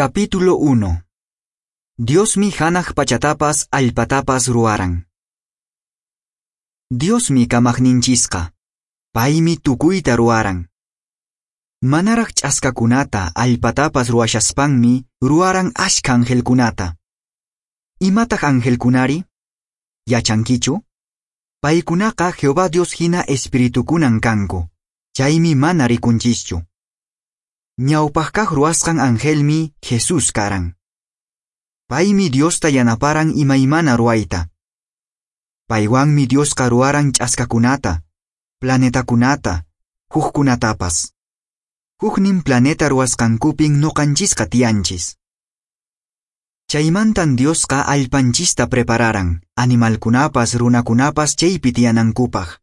Capítulo 1. Diosmi hanaq pachatapas allpatapas ruwaran. Diosmi kamaqninchisqa. Paymi tukuyta ruwaran. Manaraq ch'askakunata allpatapas ruwashaspanmi ruwaran ashka angelkunata. Imataq angelkunari? Yachankichu? Paykunaqa Jehová Dios hina espiritukunan kanku. Chaymi mana rikunchischu. Ñawpaq ruwasqan angelmi Jesús karan. Paymi Diosta yanaparan imaymana ruwayta. Paywanmi Diosqa ruwaran ch'askakunata, planetakunata, hukkunatapas. Huknin planeta ruwasqankupin nuqanchisqa tiyanchis. Chaymantan Diosqa allpanchista prepararan, animalkunapas runakunapas chaypi tiyanankupaq.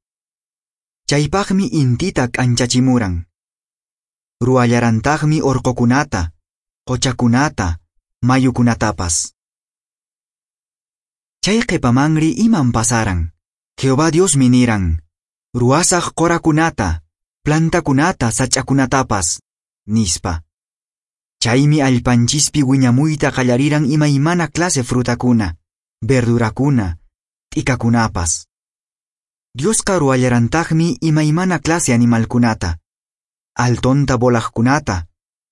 Chaypaqmi intita k'anchachimuran. Ruwallarantaqmi orqokunata, qochakunata, mayukunatapas. Chay qhipamanri iman pasaran. Jehová Diosmi niran, ruwasaq qorakunata, plantakunata, sach'akunatapas, nispa. Chaymi allpanchispi wiñamuyta qallariran imaymana clase frutakuna, verdurakuna, t'ikakunapas. Diosqa ruwallarantaqmi imaymana clase animalkunata, altonta volaqkunata,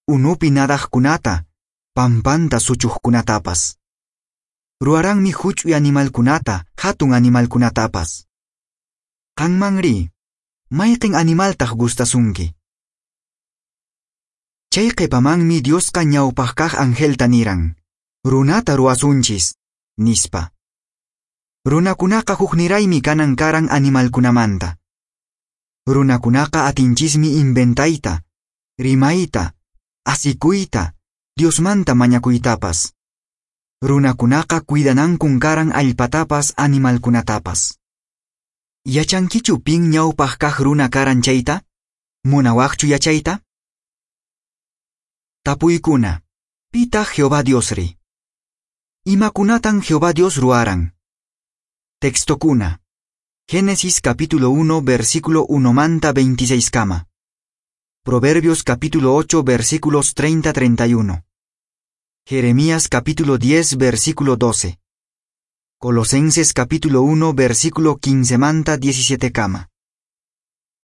unupi nadaqkunata, pampanta suchuqkunatapas. Ruwaranmi huch'uy animalkunata, hatun animalkunatapas. Qanmanri, mayqin animaltaq gustasunki? Chay qhipamanmi Diosqa ñawpaq kaq angelta niran, runata ruwasunchis, nispa. Runakunaqa hukniraymi kanan karan animalkunamanta. Runakunaqa atinchismi inventayta, rimayta, asikuyta, Diosmanta mañakuytapas. Runakunaqa cuidanankun karan allpatapas animalkunatapas. Yachankichu pin ñawpaq kaq runa karan chayta? Munawaqchu yachayta? Tapuykuna. Pitaq Jehová Diosri? Imakunatan Jehová Dios ruwaran? Textokuna. Génesis capítulo 1 versículo 1 manta 26 kama. Proverbios capítulo 8 versículos 30-31. Jeremías capítulo 10 versículo 12. Colosenses capítulo 1 versículo 15 manta 17 kama.